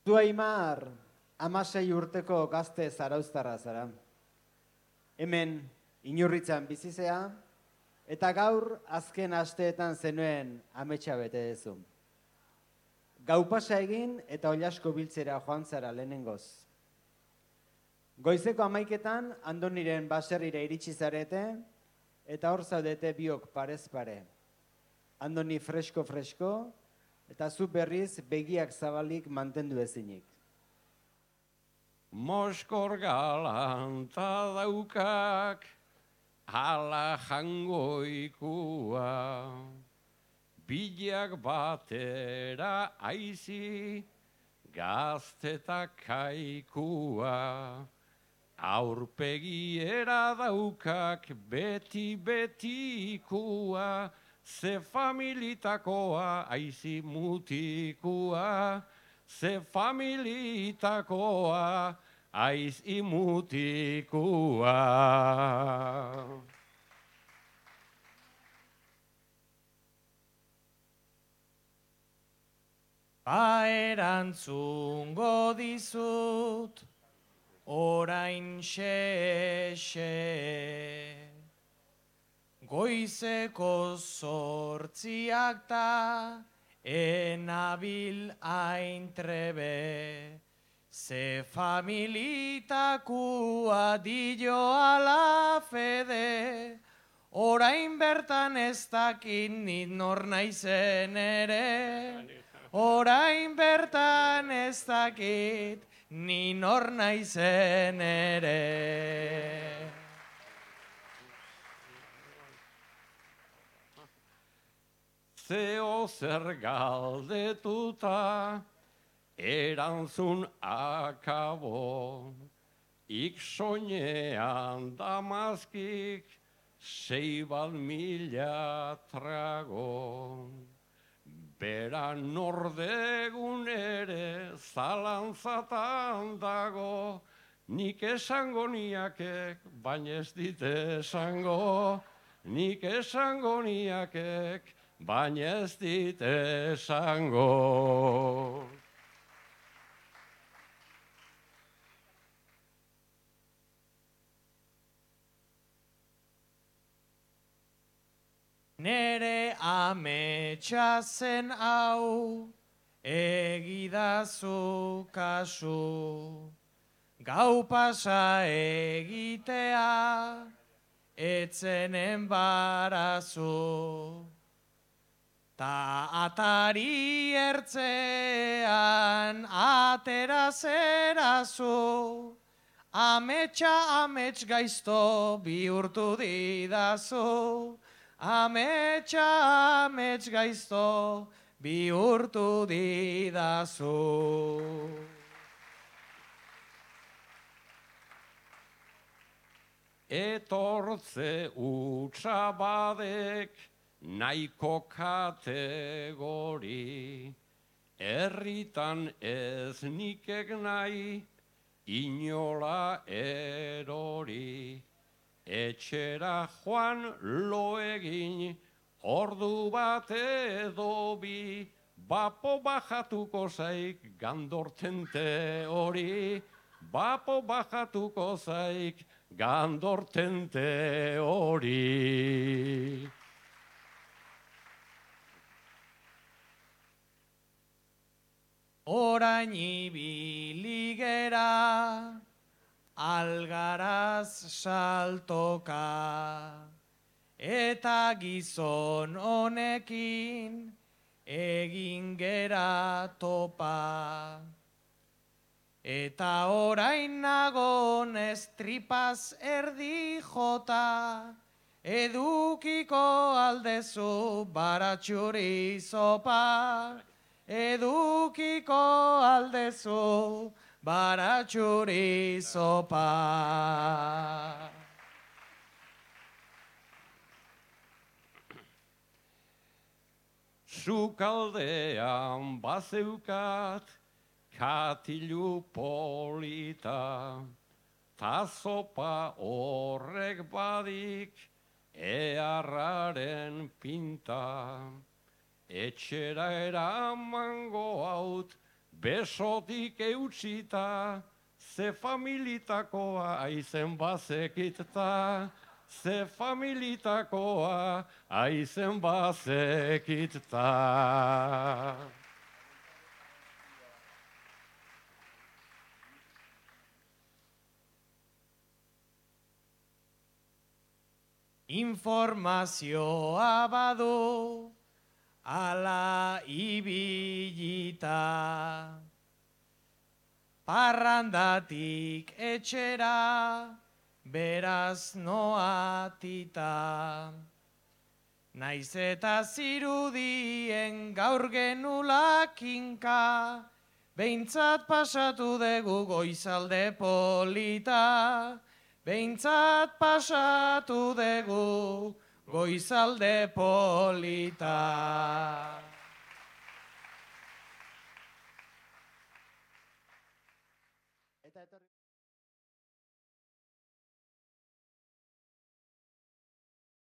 Zu Aimar, 16 urteko gazte zarauztarra zara. Hemen, Inurritzan bizizea, eta gaur azken asteetan zenuen ametsa bete dezu. Gau pasa egin eta Ollasko biltzera joan zara lehenengoz. Goizeko 11etan Andoniren baserrira iritsi zarete, eta hor zaudete biok parez pare. Andoni fresko, eta zu berriz begiak zabalik mantendu ezinik. Moskor galanta daukak, ala jangoikua. Bilak batera aizi, gazteta kaikua. Aurpegiera daukak beti-betikoa, ze familitakoa aizi mutikua, ze familitakoa aizi mutikua. Erantzungo dizut, orain xe. Goizeko 8 ta, enabil hain trebe. Ze familitakua dio ala fede, orain bertan ez dakit nit nor naizen ere. Orain bertan ez dakit ni nor naizen ere. Zeo zer galdetuta, erantzun akabo, ik soinean damazkik, 6.000 trago. Bera nordegun ere zalantzatan dago, nik esango niakek, baina ez dit esango, nik esango niakek, baina ez dit esango. Nere ametsa zen hau, egidazu kasu. Gau pasa egitea, etzen enbarazu. Ta atari ertzean atera zerazu, ametsa amets gaizto bihurtu didazu. Ametsa amets gaizto bihurtu didazu. Etortze utxabadek nahiko kategori, herritan ez nikek nahi inola erori. Etxera joan lo egin, ordu bat edo bi, bapo bajatuko zaik gandortente hori, bapo bajatuko zaik gandortente hori. Orain ibili gera, algaraz saltoka, eta gizon honekin egin gera topa. Eta orain nagon estripaz erdi jota, edukiko aldezu baratxuri zopa, edukiko aldezu baratxuri zopa. Sukaldean bazeukat katilu polita, ta zopa horrek badik earraren pinta. Etxera eramango haut besotik eutxita, ze familitakoa aizen bazekita, ze familitakoa aizen bazekita. Informazioa badu, ala ibilita, parrandatik etxera, beraz noatita. Naiz eta zirudien gaur genula kinka, behintzat pasatu dugu goizalde polita, behintzat pasatu dugu goizalde polita.